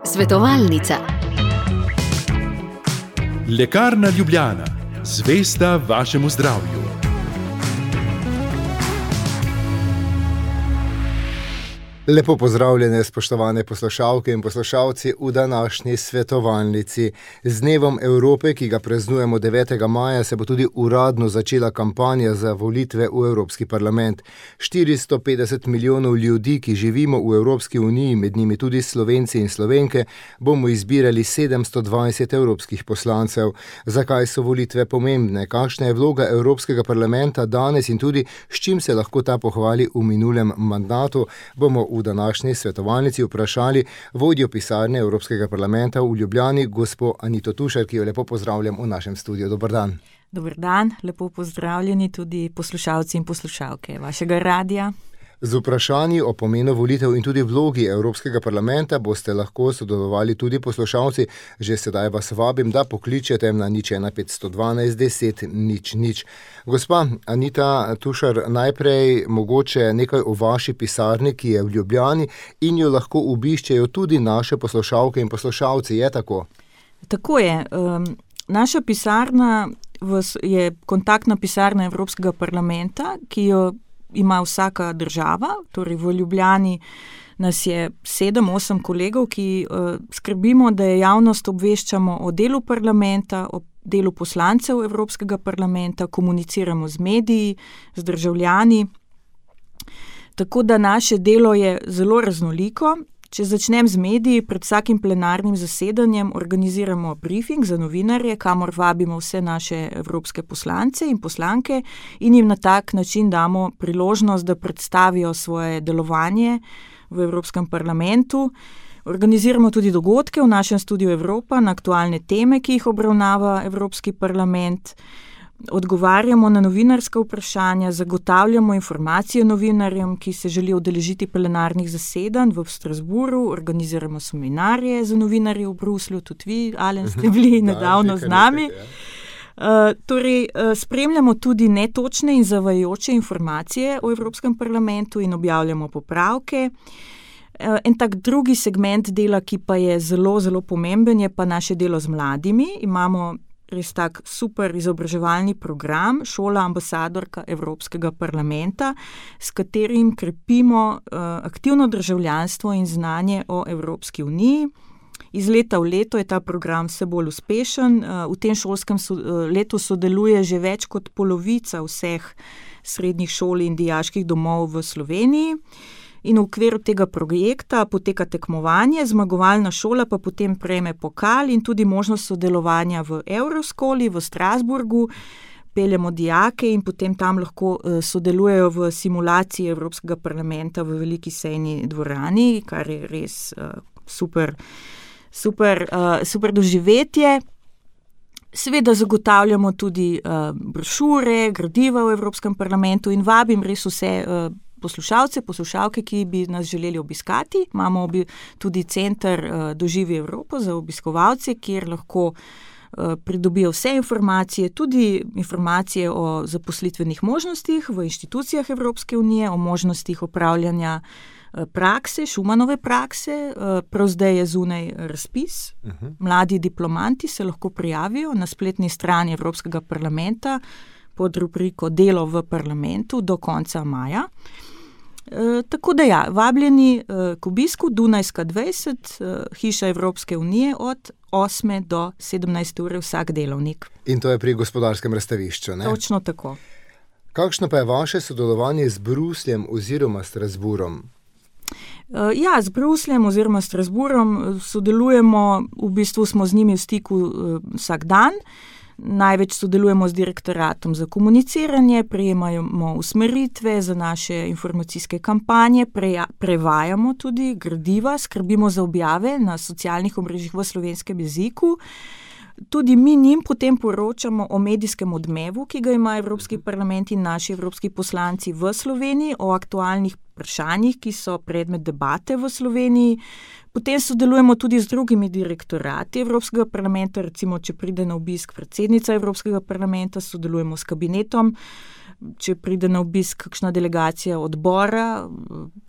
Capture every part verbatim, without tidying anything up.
Svetovalnica. Lekarna Ljubljana, zvesta vašemu zdravju. Lepo pozdravljene, spoštovane poslušalke in poslušalci v današnji svetovalnici. Z Dnevom Evrope, ki ga praznujemo devetega maja, se bo tudi uradno začela kampanja za volitve v Evropski parlament. štiristo petdeset milijonov ljudi, ki živimo v Evropski uniji, med njimi tudi Slovenci in Slovenke, bomo izbirali sedemsto dvajset evropskih poslancev. Zakaj so volitve pomembne? Kakšna je vloga Evropskega parlamenta danes in tudi s čim se lahko ta pohvali v minulem mandatu, bomo v današnji svetovalnici vprašali vodjo pisarne Evropskega parlamenta v Ljubljani, gospo Anito Tušar, ki jo lepo pozdravljam v našem studiu. Dober dan. Dober dan, lepo pozdravljeni tudi poslušalci in poslušalke vašega radija. Z vprašanji o pomenu volitev in tudi vlogi Evropskega parlamenta boste lahko sodelovali tudi poslušalci. Že sedaj vas vabim, da pokličete na nič ena petsto dvanajst deset nič nič. Gospa Anita Tušar, najprej mogoče nekaj o vaši pisarni, ki je v Ljubljani in jo lahko obiščejo tudi naše poslušalke in poslušalci. Je tako? Tako je. Um, naša pisarna je kontaktna pisarna Evropskega parlamenta, ki jo ima vsaka država, torej v Ljubljani nas je sedem, osem kolegov, ki uh, skrbimo, da je javnost obveščamo o delu parlamenta, o delu poslancev Evropskega parlamenta, komuniciramo z mediji, z državljani. Tako da naše delo je zelo raznoliko. Če začnem z mediji, pred vsakim plenarnim zasedanjem organiziramo briefing za novinarje, kamor vabimo vse naše evropske poslance in poslanke in jim na tak način damo priložnost, da predstavijo svoje delovanje v Evropskem parlamentu. Organiziramo tudi dogodke v našem studiu Evropa na aktualne teme, ki jih obravnava Evropski parlament. Odgovarjamo na novinarska vprašanja, zagotavljamo informacije novinarjem, ki se želijo udeležiti plenarnih zasedanj v Strasbourgu, organiziramo seminarje za novinarje v Bruslju, tudi vi, Alen, ste bili nedavno z nami. Uh, torej, uh, spremljamo tudi netočne in zavajajoče informacije o Evropskem parlamentu in objavljamo popravke. Uh, en tak drugi segment dela, ki pa je zelo, zelo pomemben, je pa naše delo z mladimi. Imamo res tak super izobraževalni program, Šola ambasadorka Evropskega parlamenta, s katerim krepimo uh, aktivno državljanstvo in znanje o Evropski uniji. Iz leta v leto je ta program vse bolj uspešen. Uh, v tem šolskem so, uh, letu sodeluje že več kot polovica vseh srednjih šol in dijaških domov v Sloveniji. In v okviru tega projekta poteka tekmovanje, zmagovalna šola pa potem prejme pokal in tudi možnost sodelovanja v Euroskoli v Strasbourgu. Peljemo dijake in potem tam lahko uh, sodelujejo v simulaciji Evropskega parlamenta v veliki sejni dvorani, kar je res uh, super, super, uh, super doživetje. Seveda zagotavljamo tudi uh, brošure, gradiva v Evropskem parlamentu in vabim res vse uh, poslušalce, poslušalke, ki bi nas želeli obiskati. Imamo obi, tudi center uh, Doživi Evropo za obiskovalce, kjer lahko uh, pridobijo vse informacije, tudi informacije o zaposlitvenih možnostih v inštitucijah Evropske unije, o možnostih opravljanja uh, prakse, Šumanove prakse. Uh, prav zdaj je zunaj razpis. Uh-huh. Mladi diplomanti se lahko prijavijo na spletni strani Evropskega parlamenta pod rubriko Delo v parlamentu do konca maja. E, tako da ja, vabljeni e, k obisku Dunajska dvajset, e, hiša Evropske unije od osme do sedemnajste ure vsak delovnik. In to je pri Gospodarskem razstavišču, ne? Točno tako. Kakšno pa je vaše sodelovanje z Brusljem oziroma Strasbourgom? E, ja, z Brusljem oziroma Strasbourgom sodelujemo, v bistvu smo z njimi v stiku e, vsak dan. Največ sodelujemo z direktoratom za komuniciranje, prejemamo usmeritve za naše informacijske kampanje, preja, prevajamo tudi gradiva, skrbimo za objave na socialnih omrežjih v slovenskem jeziku. Tudi mi njim potem poročamo o medijskem odmevu, ki ga ima Evropski parlament in naši evropski poslanci v Sloveniji, o aktualnih vprašanjih, ki so predmet debate v Sloveniji. Potem sodelujemo tudi z drugimi direktorati Evropskega parlamenta, recimo, če pride na obisk predsednica Evropskega parlamenta, sodelujemo s kabinetom, če pride na obisk kakšna delegacija odbora,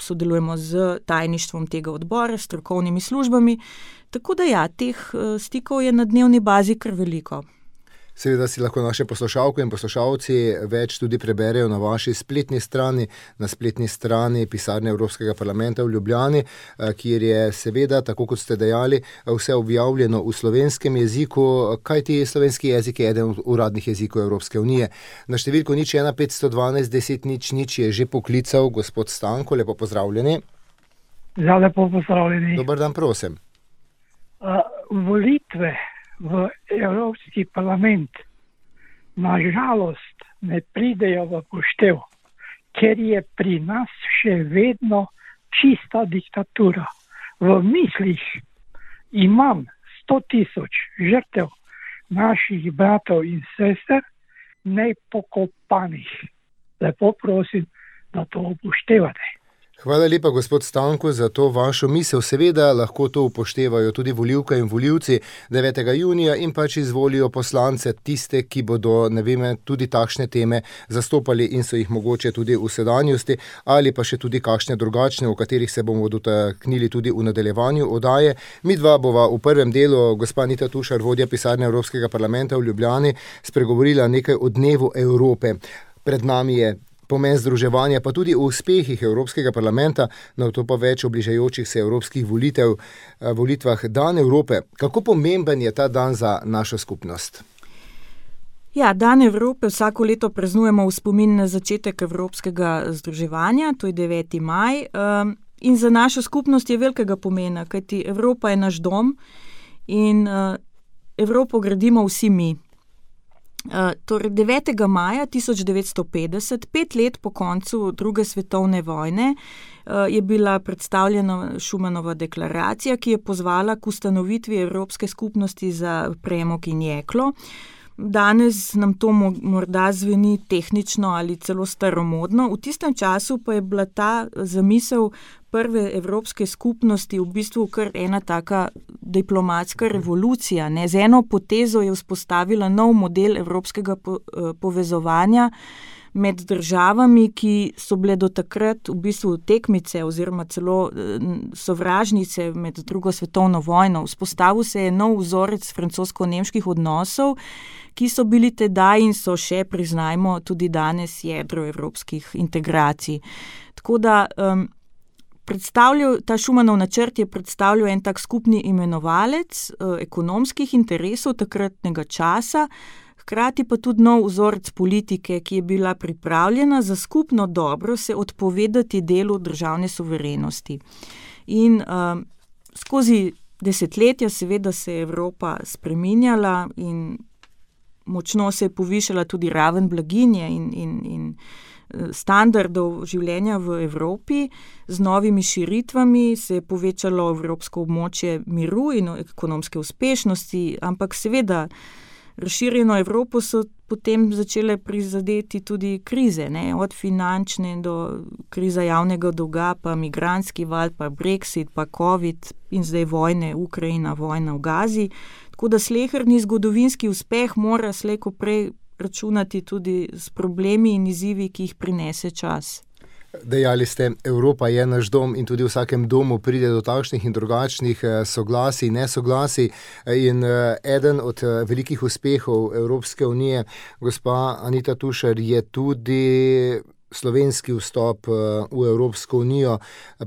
sodelujemo z tajništvom tega odbora, s strokovnimi službami. Tako da ja, teh stikov je na dnevni bazi kar veliko. Seveda si lahko naše poslušalke in poslušalci več tudi preberejo na vaši spletni strani, na spletni strani pisarne Evropskega parlamenta v Ljubljani, kjer je seveda, tako kot ste dejali, vse objavljeno v slovenskem jeziku, kajti slovenski jezik je eden od uradnih jezikov Evropske unije. Na številko nič ena petsto dvanajst deset nič nič je že poklical gospod Stanko, lepo pozdravljeni. Ja, lepo pozdravljeni. Dobar dan, prosim. Uh, volitve v Evropski parlament na žalost ne pridejo v poštev, ker je pri nas še vedno čista diktatura. V mislih imam sto tisoč žrtev naših bratov in sester nepokopanih. Lepo prosim, da to upoštevate. Hvala lepa, gospod Stanko, za to vašo misel. Seveda lahko to upoštevajo tudi volivke in volivci devetega junija in pač izvolijo poslance, tiste, ki bodo, ne vem, tudi takšne teme zastopali in so jih mogoče tudi v sedanjosti ali pa še tudi kakšne drugačne, o katerih se bomo dotaknili tudi v nadaljevanju oddaje. Mi dva bova v prvem delu, gospa Anita Tušar, vodja pisarne Evropskega parlamenta v Ljubljani, spregovorila nekaj o dnevu Evrope. Pred nami je pomen združevanja, pa tudi o uspehih Evropskega parlamenta, na to pa več o bližajočih se evropskih volitev, volitvah. Dan Evrope. Kako pomemben je ta dan za našo skupnost? Ja, Dan Evrope vsako leto praznujemo v spomin na začetek evropskega združevanja, to je deveti maj. In za našo skupnost je velikega pomena, kajti Evropa je naš dom in Evropo gradimo vsi mi. Uh, torej devetega maja tisoč devetsto petdeset, pet let po koncu druge svetovne vojne, uh, je bila predstavljena Schumanova deklaracija, ki je pozvala k ustanovitvi Evropske skupnosti za premog in jeklo. Danes nam to morda zveni tehnično ali celo staromodno, v tistem času pa je bila ta zamisel prve Evropske skupnosti v bistvu kar ena taka diplomatska revolucija. Ne? Z eno potezo je vzpostavila nov model evropskega po, povezovanja med državami, ki so bile do takrat v bistvu tekmice oziroma celo sovražnice med drugo svetovno vojno. Vzpostavil se je nov vzorec francosko-nemških odnosov, ki so bili tedaj in so še, priznajmo, tudi danes jedro evropskih integracij. Tako da um, ta Schumanov načrt je predstavljal en tak skupni imenovalec uh, ekonomskih interesov takratnega časa, hkrati pa tudi nov vzorec politike, ki je bila pripravljena za skupno dobro se odpovedati delu državne suverenosti. In um, skozi desetletja seveda se je Evropa spreminjala in močno se je povišala tudi raven blaginje in, in, in standardov življenja v Evropi. Z novimi širitvami se je povečalo evropsko območje miru in ekonomske uspešnosti, ampak seveda razširjeno Evropo so potem začele prizadeti tudi krize, ne? Od finančne do kriza javnega dolga, pa migrantski val, pa Brexit, pa COVID in zdaj vojne, Ukrajina, vojna v Gazi. Tako da sleherni zgodovinski uspeh mora slej ko prej računati tudi s problemi in izzivi, ki jih prinese čas. Dejali ste, Evropa je naš dom in tudi v vsakem domu pride do takšnih in drugačnih soglasij, nesoglasij in eden od velikih uspehov Evropske unije, gospa Anita Tušar, je tudi slovenski vstop v Evropsko unijo.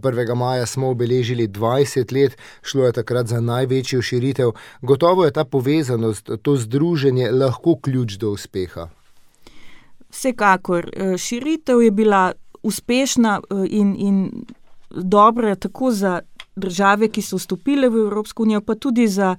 prvega maja smo obeležili dvajset let, šlo je takrat za največjo širitev. Gotovo je ta povezanost, to združenje lahko ključ do uspeha. Vsekakor. Širitev je bila uspešna in, in dobra tako za države, ki so vstopile v Evropsko unijo, pa tudi za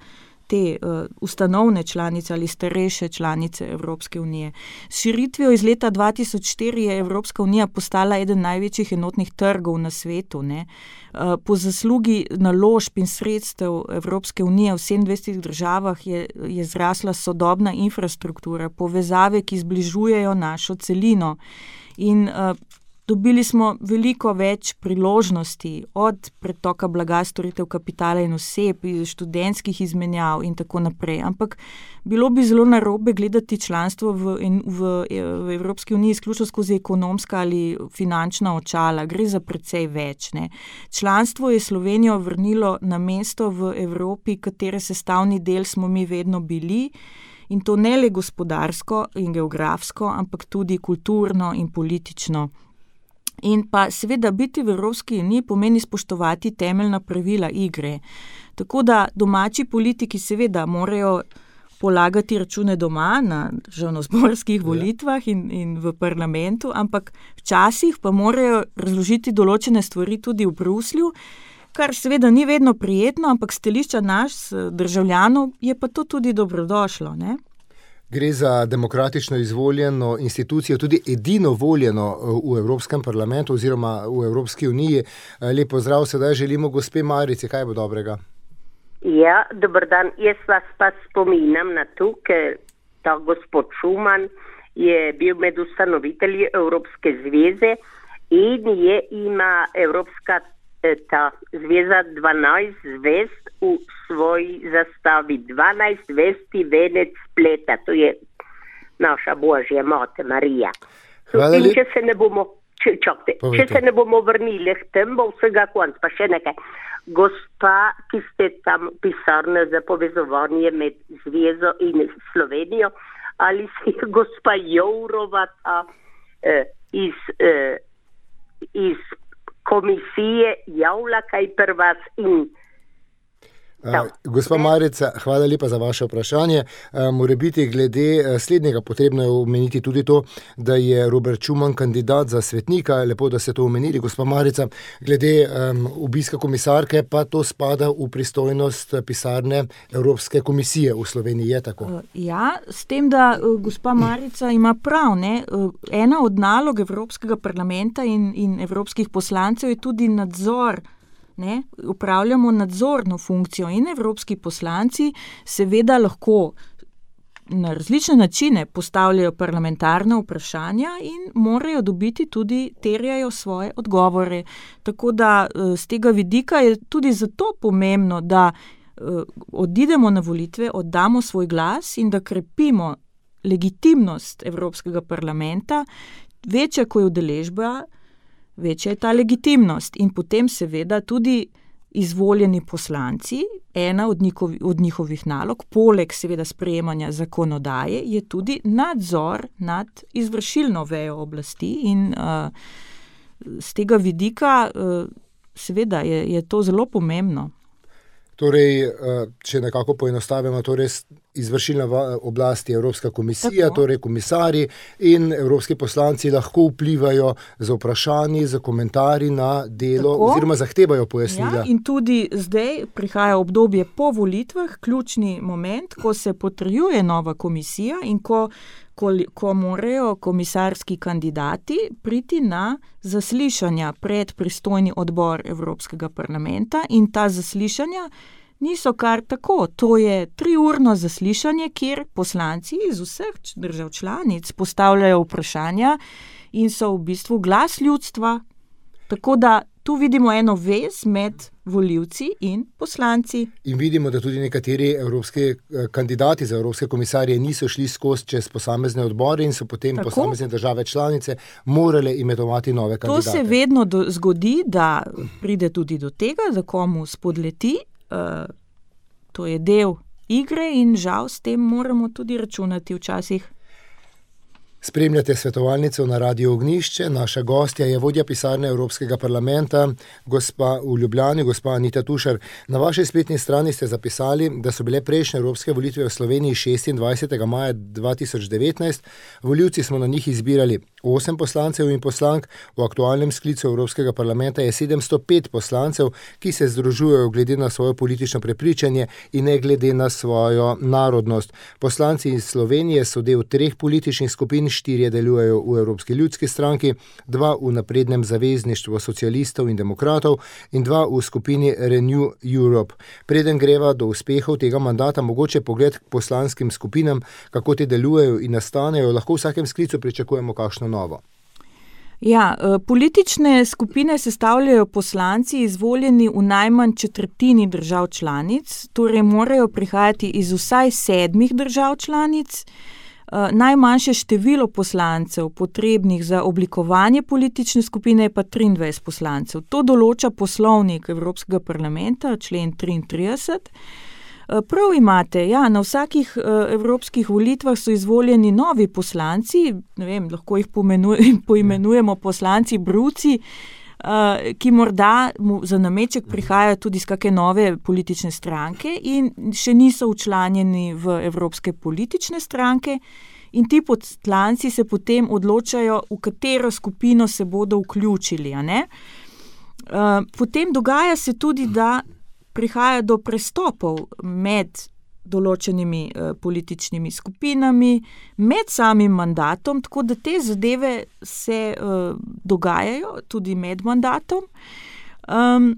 te uh, ustanovne članice ali starejše članice Evropske unije. S širitvijo iz leta dva tisoč štiri je Evropska unija postala eden največjih enotnih trgov na svetu. Ne? Uh, po zaslugi naložb in sredstev Evropske unije v sedemindvajsetih državah je, je zrasla sodobna infrastruktura, povezave, ki zbližujejo našo celino. In uh, Dobili smo veliko več priložnosti, od pretoka blaga, storitev, kapitala in oseb, študentskih izmenjav in tako naprej. Ampak bilo bi zelo narobe gledati članstvo v, v, v Evropski uniji izključno skozi ekonomska ali finančna očala. Gre za precej več. Ne. Članstvo je Slovenijo vrnilo na mesto v Evropi, katere sestavni del smo mi vedno bili. In to ne le gospodarsko in geografsko, ampak tudi kulturno in politično. In pa seveda biti v Evropski uniji pomeni spoštovati temeljna pravila igre. Tako da domači politiki seveda morajo polagati račune doma na državnozborskih volitvah in, in v parlamentu, ampak včasih pa morajo razložiti določene stvari tudi v Bruslju, kar seveda ni vedno prijetno, ampak stališča nas državljanov je pa to tudi dobrodošlo, ne? Gre za demokratično izvoljeno institucijo, tudi edino voljeno v Evropskem parlamentu oziroma v Evropski uniji. Lep pozdrav, sedaj želimo gospe Marici, kaj bo dobrega? Ja, dober dan. Jaz vas pa spominjam na to, ker ta gospod Schuman je bil med ustanovitelji Evropske zveze in je ima Evropska ta zveza dvanajst zvest v svoji zastavi, dvanajst zvesti venec spleta, to je naša Božja Mate Marija. In če se ne bomo, če, čakte, če se ne bomo vrnili k tem, bo vsega konc, pa še nekaj. Gospa, ki ste tam pisarna za povezovanje med zvezo in Slovenijo, ali si gospa Jourova ta eh, iz, eh, iz komisije javlja kaj pri vas in Uh, gospa Marica, hvala lepa za vaše vprašanje. Uh, Mora biti glede slednjega potrebno je omeniti tudi to, da je Robert Schuman kandidat za svetnika. Lepo, da ste to omenili, gospa Marica. Glede um, obiska komisarke pa to spada v pristojnost pisarne Evropske komisije v Sloveniji, je tako? Uh, ja, s tem, da uh, gospa Marica ima prav. Ne? Uh, ena od nalog Evropskega parlamenta in, in evropskih poslancev je tudi nadzor. Ne, upravljamo nadzorno funkcijo in evropski poslanci seveda lahko na različne načine postavljajo parlamentarne vprašanja in morajo dobiti tudi, terjajo svoje odgovore. Tako da z tega vidika je tudi zato pomembno, da odidemo na volitve, oddamo svoj glas in da krepimo legitimnost Evropskega parlamenta, večja, ko je udeležba, večja je ta legitimnost in potem seveda tudi izvoljeni poslanci, ena od, njihovi, od njihovih nalog, poleg seveda sprejemanja zakonodaje, je tudi nadzor nad izvršilno vejo oblasti in uh, z tega vidika uh, seveda je, je to zelo pomembno. Torej, če nekako poenostavimo, torej izvršilna oblast je Evropska komisija, tako. Torej komisarji in evropski poslanci lahko vplivajo z vprašanji, z komentarji na delo tako. Oziroma zahtevajo pojasnila. Ja, in tudi zdaj prihaja obdobje po volitvah, ključni moment, ko se potrjuje nova komisija in ko Ko, ko morajo komisarski kandidati priti na zaslišanja pred pristojni odbor Evropskega parlamenta in ta zaslišanja niso kar tako. To je triurno zaslišanje, kjer poslanci iz vseh držav članic postavljajo vprašanja in so v bistvu glas ljudstva. Tako da tu vidimo eno vez med volivci in poslanci. In vidimo, da tudi nekateri evropski kandidati za evropske komisarje niso šli skozi čez posamezne odbore in so potem tako. Posamezne države članice morale imenovati nove kandidate. To se vedno do, zgodi, da pride tudi do tega, da komu spodleti. Uh, to je del igre in žal s tem moramo tudi računati včasih. Spremljate svetovalnico na Radiu Ognjišče. Naša gostja je vodja pisarne Evropskega parlamenta, gospa v Ljubljani, gospa Anita Tušar. Na vaši spletni strani ste zapisali, da so bile prejšnje evropske volitve v Sloveniji šestindvajsetega maja dva tisoč devetnajst. Volivci smo na njih izbirali osem poslancev in poslank. V aktualnem sklicu Evropskega parlamenta je sedemsto pet poslancev, ki se združujejo glede na svoje politično prepričanje in ne glede na svojo narodnost. Poslanci iz Slovenije so del treh političnih skupin, štirje delujejo v Evropski ljudski stranki, dva v naprednem zavezništvu socialistov in demokratov in dva v skupini Renew Europe. Preden greva do uspehov tega mandata, mogoče pogled k poslanskim skupinam, kako te delujejo in nastanejo, lahko v vsakem sklicu pričakujemo kakšno novo. Ja, politične skupine sestavljajo poslanci izvoljeni v najmanj četrtini držav članic, torej morajo prihajati iz vsaj sedmih držav članic. Najmanjše število poslancev potrebnih za oblikovanje politične skupine je pa triindvajset poslancev. To določa poslovnik Evropskega parlamenta, člen triintrideset. Prav imate, ja, na vsakih evropskih volitvah so izvoljeni novi poslanci, ne vem, lahko jih poimenujemo poslanci bruci, ki morda za nameček prihajajo tudi iz kakšne nove politične stranke in še niso včlanjeni v evropske politične stranke, in ti poslanci se potem odločajo, v katero skupino se bodo vključili, a ne? Potem dogaja se tudi, da prihaja do prestopov med določenimi eh, političnimi skupinami, med samim mandatom, tako da te zadeve se eh, dogajajo tudi med mandatom. Um,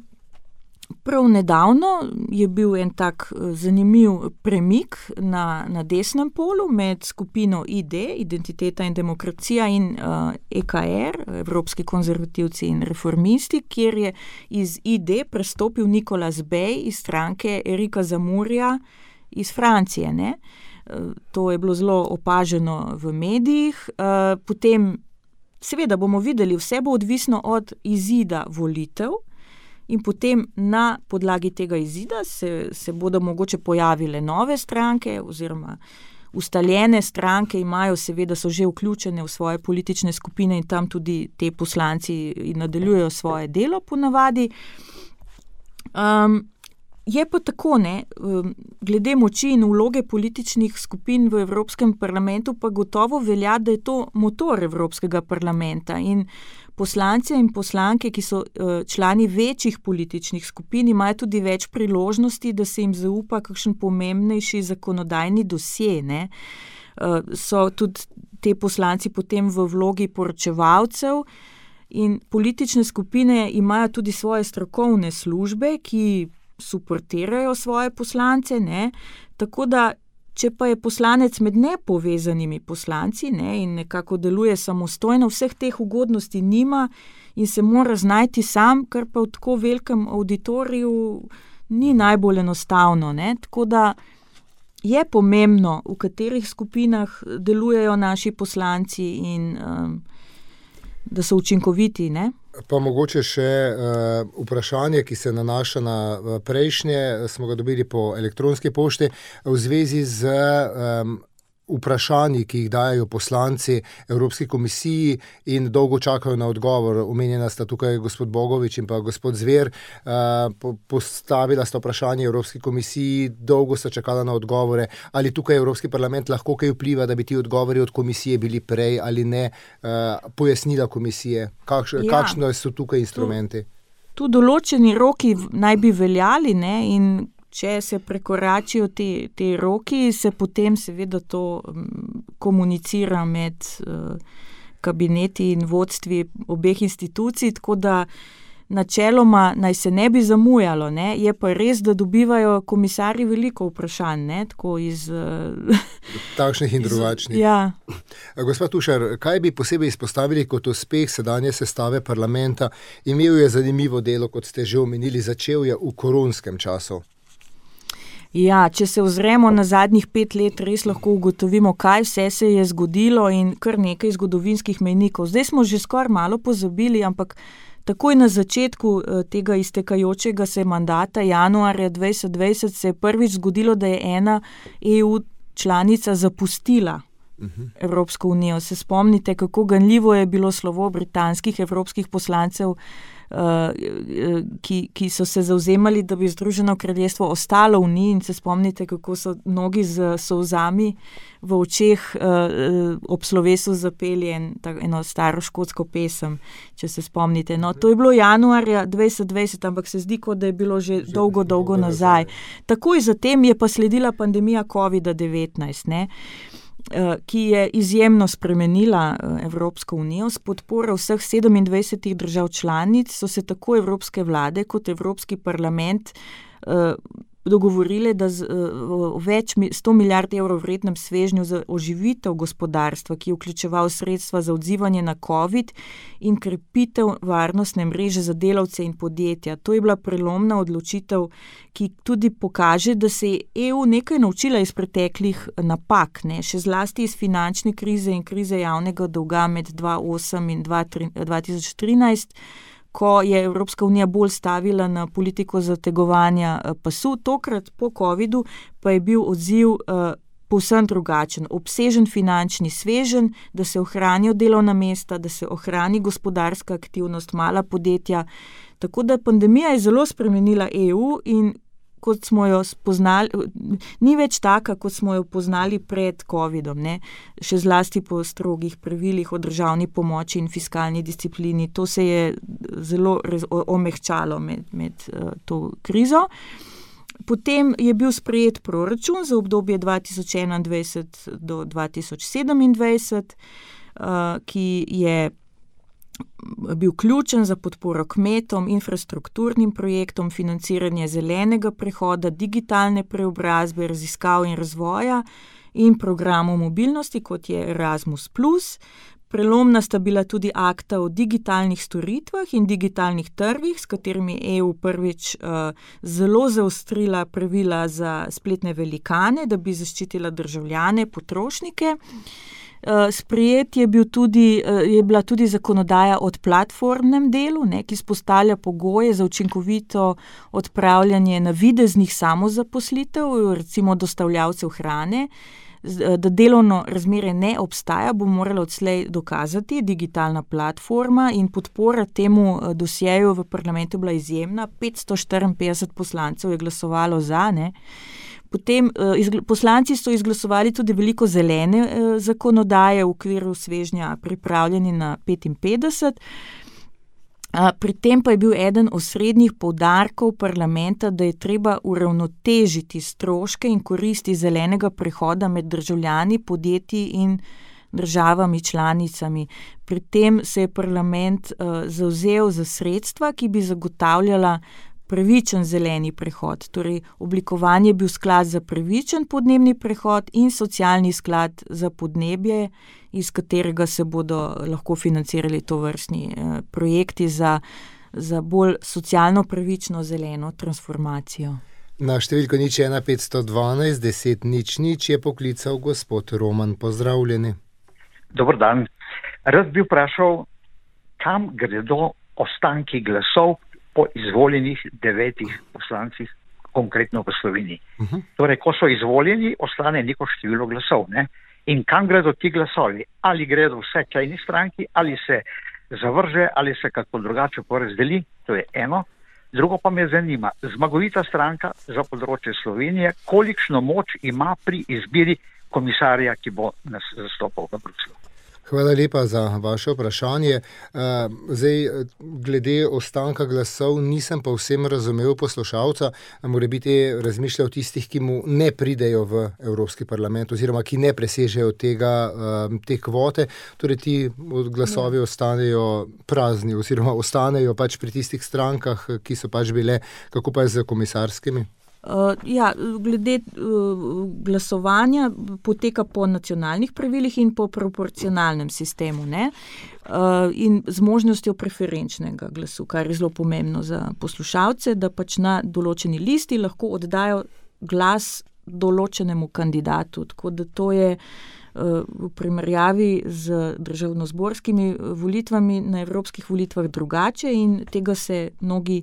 prav nedavno je bil en tak zanimiv premik na, na desnem polu med skupino I D, Identiteta in demokracija, in uh, E K R, Evropski konzervativci in reformisti, kjer je iz I D prestopil Nicolas Bay iz stranke Erika Zemmourja iz Francije, ne? To je bilo zelo opaženo v medijih. Potem, seveda bomo videli, vse bo odvisno od izida volitev in potem na podlagi tega izida se, se bodo mogoče pojavile nove stranke oziroma ustaljene stranke imajo, seveda so že vključene v svoje politične skupine in tam tudi te poslanci nadaljujejo svoje delo ponavadi. Um, Je pa tako, ne, glede moči in vloge političnih skupin v Evropskem parlamentu pa gotovo velja, da je to motor Evropskega parlamenta in poslance in poslanke, ki so člani večjih političnih skupin, imajo tudi več priložnosti, da se jim zaupa kakšen pomembnejši zakonodajni dosje, ne. So tudi te poslanci potem v vlogi poročevalcev in politične skupine imajo tudi svoje strokovne službe, ki suportirajo svoje poslance, ne, tako da, če pa je poslanec med nepovezanimi poslanci, ne, in nekako deluje samostojno, vseh teh ugodnosti nima in se mora znajti sam, kar pa v tako velikem auditoriju ni najbolj enostavno, ne, tako da je pomembno, v katerih skupinah delujejo naši poslanci in um, da so učinkoviti, ne. Pa mogoče še uh, vprašanje, ki se nanaša na prejšnje, smo ga dobili po elektronski pošti, v zvezi z um, vprašanji, ki jih dajo poslanci Evropski komisiji in dolgo čakajo na odgovor. Omenjena sta tukaj gospod Bogovič in pa gospod Zver. Uh, po, postavila sta vprašanje Evropski komisiji, dolgo sta čakala na odgovore. Ali tukaj Evropski parlament lahko kaj vpliva, da bi ti odgovori od komisije bili prej ali ne? Uh, pojasnila komisije. Kakš, ja. Kakšno so tukaj instrumenti? Tu, tu določeni roki naj bi veljali, ne, in če se prekoračijo te, te roki, se potem seveda to um, komunicira med uh, kabineti in vodstvi obeh institucij, tako da načeloma naj se ne bi zamujalo, ne? Je pa res, da dobivajo komisarji veliko vprašanj, ne? Tako iz... Uh, takšnih in drugačnih. Ja. Gospod Tušar, kaj bi posebej izpostavili kot uspeh sedanje sestave parlamenta? Imel je zanimivo delo, kot ste že omenili, začel je v koronskem času. Ja, če se ozremo na zadnjih pet let, res lahko ugotovimo, kaj vse se je zgodilo in kar nekaj zgodovinskih mejnikov. Zdaj smo že skoraj malo pozabili, ampak takoj na začetku tega iztekajočega se mandata januarja dvajset dvajset se je prvič zgodilo, da je ena E U članica zapustila uh-huh. Evropsko unijo. Se spomnite, kako ganljivo je bilo slovo britanskih evropskih poslancev, Uh, ki, ki so se zavzemali, da bi Združeno kraljestvo ostalo v Uniji, in se spomnite, kako so mnogi z solzami v očeh uh, ob slovesu zapeli en, tak, eno staro škotsko pesem, če se spomnite. No, to je bilo januarja dvajset dvajset, ampak se zdi, kot da je bilo že, že dolgo, dolgo nazaj. Takoj zatem je pa sledila pandemija covid devetnajst, ne, ki je izjemno spremenila Evropsko unijo. S podporo vseh sedemindvajsetih držav članic so se tako evropske vlade kot Evropski parlament dogovorile, da z uh, več sto milijard evrov vrednem svežnju za oživitev gospodarstva, ki je vključeval sredstva za odzivanje na COVID in krepitev varnostne mreže za delavce in podjetja. To je bila prelomna odločitev, ki tudi pokaže, da se je E U nekaj naučila iz preteklih napak, ne? Še zlasti iz finančne krize in krize javnega dolga med dva tisoč osem in dva tisoč trinajst, ko je Evropska unija bolj stavila na politiko zategovanja pasu. Tokrat po covidu pa je bil odziv uh, povsem drugačen. Obsežen finančni sveženj, da se ohranijo delovna mesta, da se ohrani gospodarska aktivnost, mala podjetja. Tako da pandemija je zelo spremenila E U in kot smo jo spoznali, ni več taka, kot smo jo poznali pred covidom, ne? Še zlasti po strogih pravilih o državni pomoči in fiskalni disciplini. To se je zelo omehčalo med, med uh, to krizo. Potem je bil sprejet proračun za obdobje dva tisoč enaindvajset do dva tisoč sedemindvajset, uh, ki je bil ključen za podporo kmetom, infrastrukturnim projektom, financiranje zelenega prehoda, digitalne preobrazbe, raziskav in razvoja in programov mobilnosti, kot je Erasmus plus. Prelomna sta bila tudi akta o digitalnih storitvah in digitalnih trgih, s katerimi je E U prvič uh, zelo zaostrila pravila za spletne velikane, da bi zaščitila državljane, potrošnike. Uh, sprejet je, bil tudi, uh, je bila tudi zakonodaja o platformnem delu, ne, ki vzpostavlja pogoje za učinkovito odpravljanje navideznih samozaposlitev, recimo dostavljavcev hrane. Da delovno razmerje ne obstaja, bo morala odslej dokazati digitalna platforma in podpora temu dosjeju v parlamentu bila izjemna. petsto štiriinpetdeset poslancev je glasovalo za, ne. Potem izgl- poslanci so izglasovali tudi veliko zelene eh, zakonodaje v okviru svežnja pripravljeni na petinpetdeset. A, pri tem pa je bil eden osrednjih poudarkov parlamenta, da je treba uravnotežiti stroške in koristi zelenega prehoda med državljani, podjetji in državami članicami. Pri tem se je parlament uh, zavzel za sredstva, ki bi zagotavljala pravičen zeleni prehod. Torej, oblikovan je bil sklad za pravičen podnebni prehod in socialni sklad za podnebje, iz katerega se bodo lahko financirali tovrstni eh, projekti za, za bolj socialno pravično zeleno transformacijo. Na številko nič ena petsto dvanajst deset nič nič je poklical gospod Roman. Pozdravljeni. Dobar dan. Rad bi vprašal, kam gredo ostanki glasov po izvoljenih devetih poslancih, konkretno v Sloveniji. Uh-huh. Torej, ko so izvoljeni, ostane neko število glasov, ne? In kam gredo ti glasovi? Ali gredo vse k eni stranki, ali se zavrže, ali se kako drugače porazdeli, to je eno. Drugo pa me zanima, zmagovita stranka za področje Slovenije, kolikšno moč ima pri izbiri komisarja, ki bo nas zastopal v Bruslju? Hvala lepa za vaše vprašanje. Zdaj, glede ostanka glasov, nisem pa vsem razumel poslušalca, mora biti razmišljal tistih, ki mu ne pridejo v Evropski parlament oziroma ki ne presežejo tega, te kvote, torej ti glasovi ostanejo prazni oziroma ostanejo pač pri tistih strankah, ki so pač bile, kako pa je z komisarskimi? Uh, ja, glede uh, glasovanja poteka po nacionalnih pravilih in po proporcionalnem sistemu, ne? Uh, in z možnostjo preferenčnega glasu, kar je zelo pomembno za poslušalce, da pač na določeni listi lahko oddajo glas določenemu kandidatu. Tako da to je uh, v primerjavi z državnozborskimi volitvami na evropskih volitvah drugače in tega se mnogi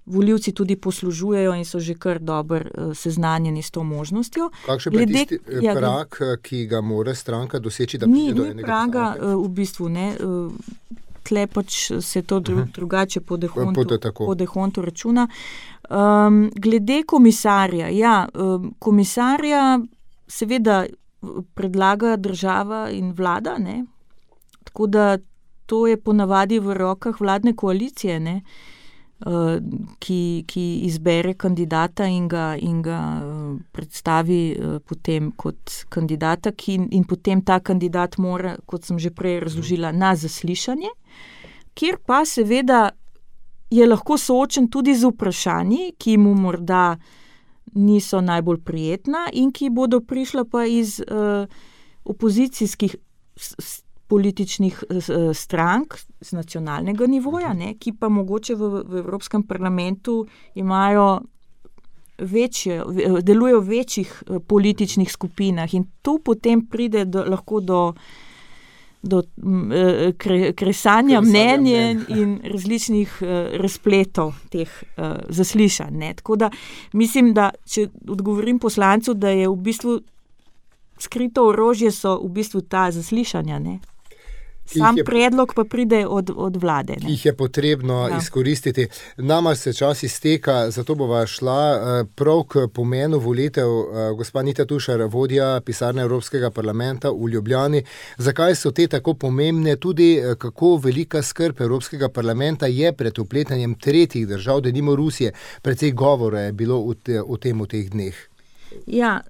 volivci tudi poslužujejo in so že kar dobro uh, seznanjeni s to možnostjo. Kakšen pa je tisti ja, prag, ki ga mora stranka doseči, da ni, pride do ni enega praga, poslanca? Uh, v bistvu ne. Uh, tle pač se to dru, uh-huh. drugače po dehontu, po dehontu računa. Um, glede komisarja, ja, um, komisarja seveda predlaga država in vlada, ne. Tako da to je ponavadi v rokah vladne koalicije, ne. Uh, ki, ki izbere kandidata in ga, in ga uh, predstavi uh, potem kot kandidata ki, in potem ta kandidat mora, kot sem že prej razložila, na zaslišanje, kjer pa seveda je lahko soočen tudi z vprašanji, ki mu morda niso najbolj prijetna in ki bodo prišla pa iz uh, opozicijskih s, s, političnih s, strank z nacionalnega nivoja, ne, ki pa mogoče v, v Evropskem parlamentu imajo večje, delujejo v večjih političnih skupinah in tu potem pride do, lahko do, do kre, kresanja mnenja in različnih razpletov teh uh, zaslišanj. Ne. Tako da mislim, da če odgovorim poslancu, da je v bistvu skrito orožje so v bistvu ta zaslišanja, ne. Sam je, predlog pa pride od, od vlade. Ne? Jih je potrebno ja. izkoristiti. Nama se čas izteka, zato bova šla prav k pomenu volitev. Gospa Anita Tušar, vodja pisarne Evropskega parlamenta v Ljubljani. Zakaj so te tako pomembne? Tudi kako velika skrb Evropskega parlamenta je pred vpletanjem tretjih držav, denimo Rusije. Precej govora je bilo o, te, o tem v teh dneh. Ja,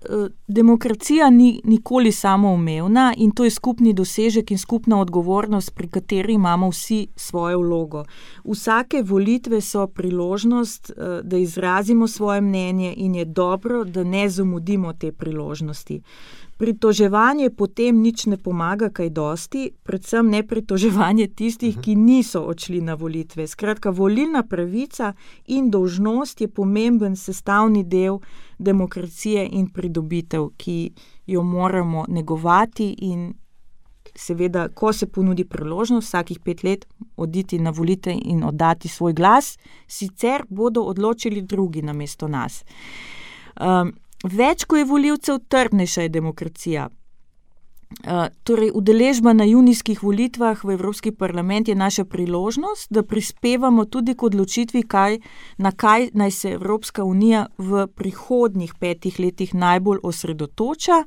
demokracija ni nikoli samoumevna in to je skupni dosežek in skupna odgovornost, pri kateri imamo vsi svojo vlogo. Vsake volitve so priložnost, da izrazimo svoje mnenje in je dobro, da ne zamudimo te priložnosti. Pritoževanje potem nič ne pomaga kaj dosti, predvsem ne pritoževanje tistih, ki niso odšli na volitve. Skratka, volilna pravica in dolžnost je pomemben sestavni del demokracije in pridobitev, ki jo moramo negovati in seveda, ko se ponudi priložnost vsakih pet let oditi na volitve in oddati svoj glas, sicer bodo odločili drugi namesto nas. Um, Več, ko je volivcev, trdnejša je demokracija. Uh, torej, udeležba na junijskih volitvah v Evropski parlament je naša priložnost, da prispevamo tudi k odločitvi, kaj, na kaj naj se Evropska unija v prihodnjih petih letih najbolj osredotoča.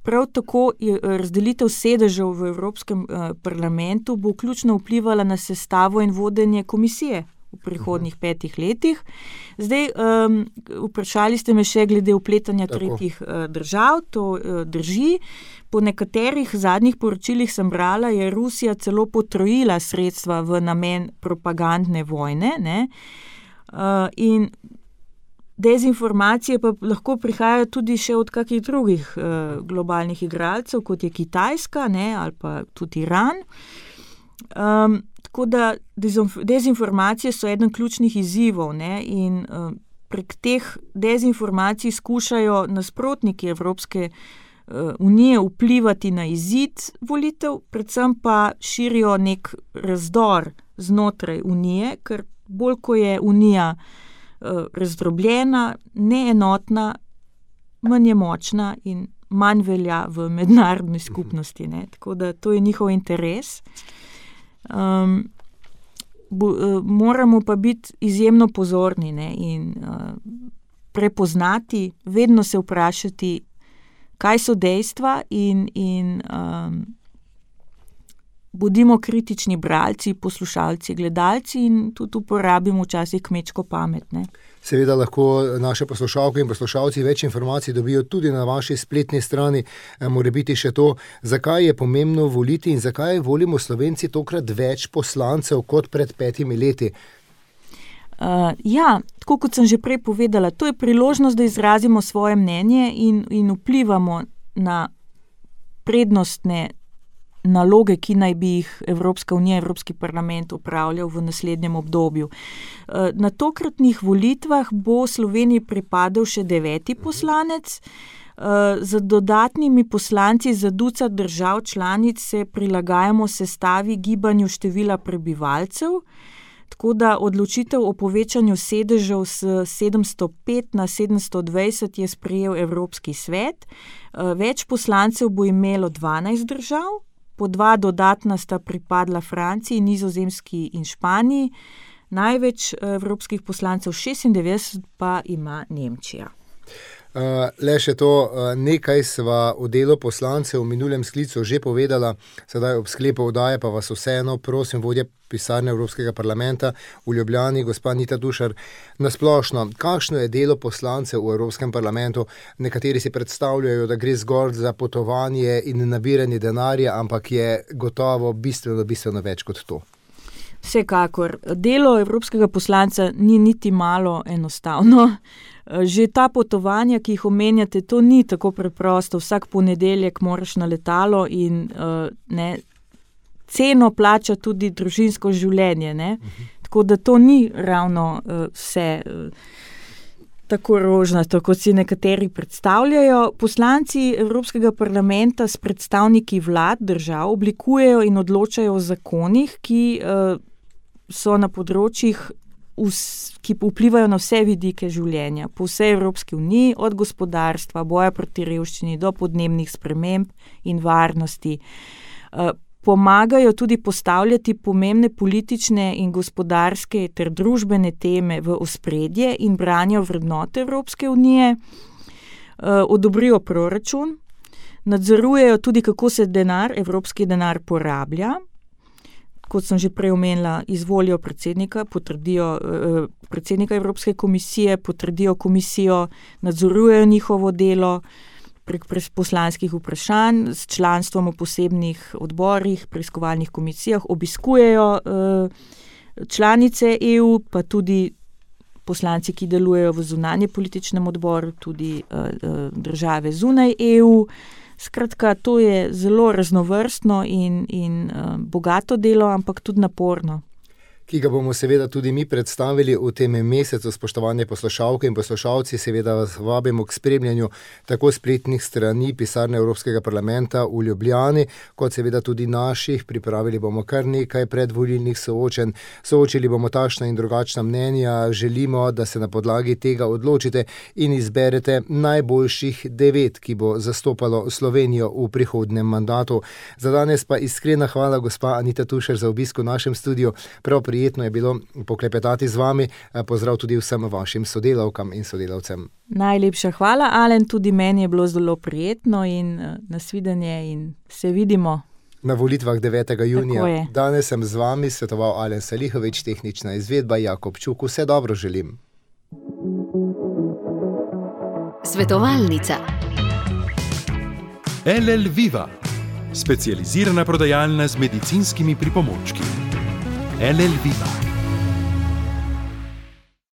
Prav tako je razdelitev sedežev v Evropskem uh, parlamentu bo ključno vplivala na sestavo in vodenje komisije v prihodnjih petih letih. Zdaj, um, vprašali ste me še glede vpletanja tretjih uh, držav, to uh, drži. Po nekaterih zadnjih poročilih sem brala, je Rusija celo potrojila sredstva v namen propagandne vojne, ne? Uh, in dezinformacije pa lahko prihajajo tudi še od kakih drugih uh, globalnih igralcev, kot je Kitajska, ne? Ali pa tudi Iran. Um, Tako da dezinformacije so eden ključnih izzivov, ne, in uh, prek teh dezinformacij skušajo nasprotniki Evropske uh, unije vplivati na izid volitev, predvsem pa širijo nek razdor znotraj unije, ker bolj ko je unija uh, razdrobljena, neenotna, manj je močna in manj velja v mednarodni skupnosti. Ne. Tako da to je njihov interes. Um, bo, uh, moramo pa biti izjemno pozorni, ne, in uh, prepoznati, vedno se vprašati, kaj so dejstva in, in um, bodimo kritični bralci, poslušalci, gledalci in tudi uporabimo včasih kmečko pamet. Ne. Seveda lahko naše poslušalke in poslušalci več informacij dobijo tudi na vaši spletni strani. Mora biti še to, zakaj je pomembno voliti in zakaj volimo Slovenci tokrat več poslancev kot pred petimi leti. Uh, ja, tako kot sem že prej povedala, to je priložnost, da izrazimo svoje mnenje in, in vplivamo na prednostne naloge, ki naj bi jih Evropska unija, Evropski parlament upravljal v naslednjem obdobju. Na tokratnih volitvah bo Sloveniji pripadal še deveti poslanec. Z dodatnimi poslanci za ducat držav članic se prilagajamo sestavi gibanju števila prebivalcev, tako da odločitev o povečanju sedežev s sedemsto pet na sedemsto dvajset je sprejel Evropski svet. Več poslancev bo imelo dvanajst držav, po dva dodatna sta pripadla Franciji, Nizozemski in Španiji, največ evropskih poslancev šestindevetdeset pa ima Nemčija. Uh, le še to, uh, nekaj sva o delu poslancev v minulem sklicu že povedala, sedaj ob sklepu oddaje pa vas vseeno prosim, vodja pisarne Evropskega parlamenta v Ljubljani, gospa Anita Tušar, nasplošno, kakšno je delo poslancev v Evropskem parlamentu? Nekateri si predstavljajo, da gre zgolj za potovanje in nabiranje denarja, ampak je gotovo bistveno, bistveno več kot to. Vsekakor. Delo evropskega poslanca ni niti malo enostavno. Že ta potovanja, ki jih omenjate, to ni tako preprosto. Vsak ponedeljek moraš na letalo in ne, ceno plača tudi družinsko življenje. Ne? Tako da to ni ravno vse tako rožnato, kot si nekateri predstavljajo. Poslanci Evropskega parlamenta s predstavniki vlad držav oblikujejo in odločajo o zakonih, ki so na področjih, ki vplivajo na vse vidike življenja po vsej Evropski uniji, od gospodarstva, boja proti revščini do podnebnih sprememb in varnosti. Pomagajo tudi postavljati pomembne politične in gospodarske ter družbene teme v ospredje in branijo vrednote Evropske unije, odobrijo proračun, nadzorujejo tudi, kako se denar, evropski denar porablja. Kot sem že prej omenila, izvolijo predsednika, potrdijo predsednika Evropske komisije, potrdijo komisijo, nadzorujejo njihovo delo prek poslanskih vprašanj, s članstvom v posebnih odborih, preiskovalnih komisijah, obiskujejo članice E U, pa tudi poslanci, ki delujejo v zunanje političnem odboru, tudi države zunaj E U. Skratka, to je zelo raznovrstno in, in bogato delo, ampak tudi naporno. Ki ga bomo seveda tudi mi predstavili v tem mesecu. Spoštovane poslušalke in poslušalci, seveda vas vabimo k spremljanju tako spletnih strani pisarne Evropskega parlamenta v Ljubljani, kot seveda tudi naših. Pripravili bomo kar nekaj predvolilnih soočenj, soočili bomo takšna in drugačna mnenja. Želimo, da se na podlagi tega odločite in izberete najboljših devet, ki bo zastopalo Slovenijo v prihodnem mandatu. Za danes pa iskrena hvala, gospa Anita Tušar, za obisk v našem studiu. Prav prijetno je bilo poklepetati z vami. Pozdrav tudi vsem vašim sodelavkam in sodelavcem. Najlepša hvala, Alen, tudi meni je bilo zelo prijetno in nasvidenje in se vidimo. Na volitvah devetega junija. Danes sem z vami svetoval Alen Salihovič, tehnična izvedba Jakob Čuk. Vse dobro želim. Svetovalnica. L L Viva, specializirana prodajalna z medicinskimi pripomočki. L L Viva.